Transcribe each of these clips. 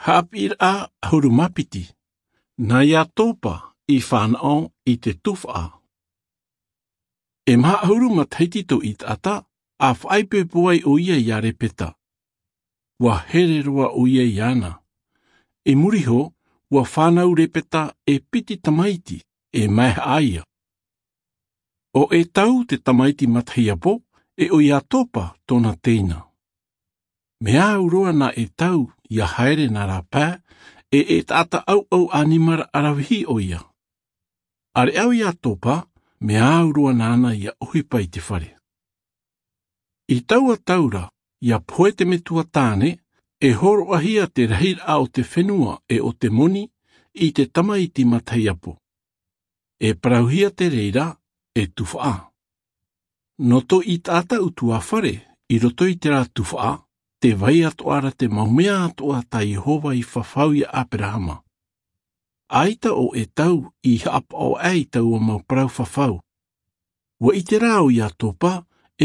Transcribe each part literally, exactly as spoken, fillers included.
Haʻapiʻiraʻa ʻahuru mā piti. Nā iatopa i fānaʻo i te tufaʻa. E maha ʻahuru matahiti tō ʻitaʻata, a faʻaipoipo ai ʻo ia iā lepeta. Ua here roa ʻo ia iāna. I muri iho, ua fānau lepeta e piti tamaiti, e maehaʻa ia. ʻO ʻetau te tamaiti matahiapo, e ʻo iatopa tōna teina. Mea au roa nā ʻetau ia haere nā rāpae, e e taʻata ʻauʻau ʻanimara ʻaravihi ʻo ia. ʻAreʻa ʻo iatopa, mea au roa nāna ia ʻohipa i te fare. I taua tau ra, ia pohe te metua tāne, e hōroʻahia te rahiraʻa o te fenua e o te moni i te tamaiti matahiapo. E parauhia te reira e tufaʻa. Nō tō ʻitaʻata ʻutuāfare, i roto i terā tufaʻa, te vai atoʻa ra te mau mea atoʻa tā iehova i fafau iā aperahama. ʻAita ʻo ʻetau i haʻapaʻo aʻe i taua mau parau fafau. Ua ʻite rā ʻo iatopa,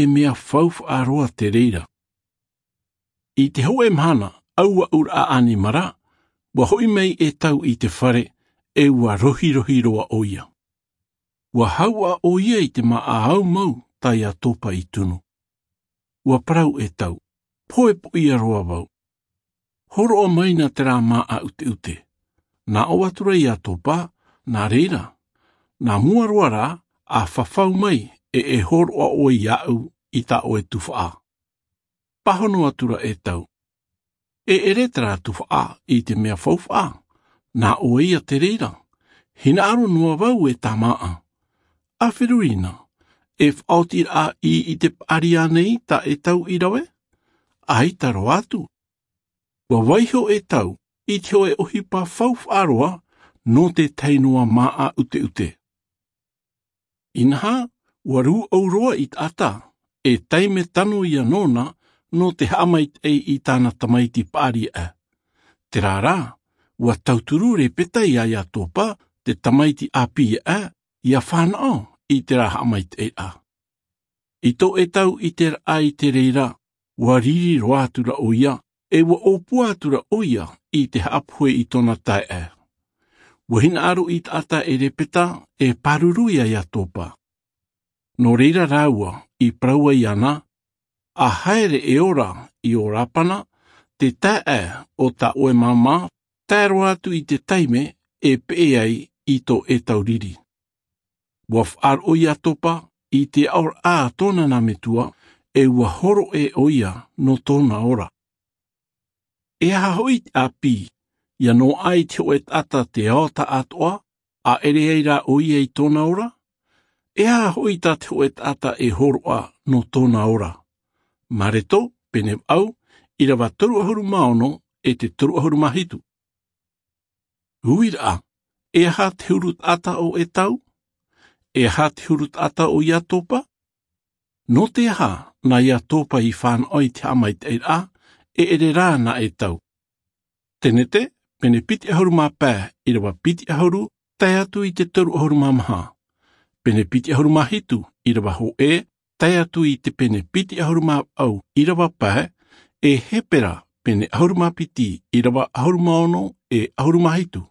e mea faufaʻa roa te reira. I te hōʻē mahana, ʻauaʻuraʻa ʻanimara, ua hoʻi mai ʻetau i te fare, e ua rohirohi roa ʻo ia. Ua hauʻa ʻo ia i te māʻa aumau tā iatopa i tunu. Ua parau ʻetau, poʻipoʻia roa vau. Hōroʻa mai nā terā māʻa ʻuteʻute. Nā ʻō atu ra iatopa, nā reira, nā mua roa rā, a fafau mai, e e hōroʻa ʻoe iāʻu i tā ʻoe tufaʻa. Pāhono atu ra ʻetau, e ʻere terā tufaʻa i te mea faufaʻa, nā ʻoe ia te reira. Hinaʻaro noa vau e tā māʻa. A feruri na, e faʻaotiraʻa i i te paʻari ānei tā ʻetau i rave? ʻAita roa atu. Ua vaiho ʻetau i te hōʻē ʻohipa faufaʻa roa nō te tahi noa māʻa ʻuteʻute. Inaha, ua rūʻau roa ʻitaʻata, e taime tano ia nōna nō te haʻamaitaʻi i tāna tamaiti paʻari aʻe. Terā rā, ua tauturu lepeta iā iatopa, te tamaiti ʻāpī aʻe, ia fānaʻo i terā haʻamaitaʻiraʻa. I tō ʻetau ʻiteraʻa i te reira, ua riri roa atu ra ʻo ia, e ua ʻōpua atu ra ʻo ia i te haʻapohe i tōna taeaʻe. Ua hinaʻaro ʻitaʻata e lepeta, e pāruru iā iatopa. Nō reira rāua i parau ai ana, a haere e ora i ō rapana, te taeaʻe o tā ʻoe māmā, tae roa atu i te taime e peʻe ai i tō ʻetau riri. Ua faʻaroʻo iatopa i te aʻoraʻa a tōna nā metua, e ua hōroʻa ʻo ia nō tōna ora. E aha hoʻi te ʻāpī, ia noaʻa i te hōʻē taʻata te ao taʻatoʻa, a ʻere ai rā ʻo ia i tōna ora? E aha hoʻi tā te hōʻē taʻata e hōroʻa nō tōna ora? Mareto, pene vaʻu, ʻirava toru ʻahuru mā ono, e te toru ʻahuru mā hitu. Uiraʻa, e aha te huru taʻata o ʻetau? E aha te huru taʻata o iatopa? Nō te aha nā iatopa i fānaʻo i te haʻamaitaʻiraʻa, e ʻere rā nā ʻetau? Tenete, pene piti ʻahuru mā pae, ʻirava piti ʻahuru, tae atu i te toru ʻahuru mā maha. Pene piti ʻahuru mā hitu, ʻirava hōʻē, tae atu i te pene piti ʻahuru mā vaʻu, ʻirava pae, e Hepera, pene ʻahuru mā piti, ʻirava ʻahuru mā ono, e ʻahuru mā hitu.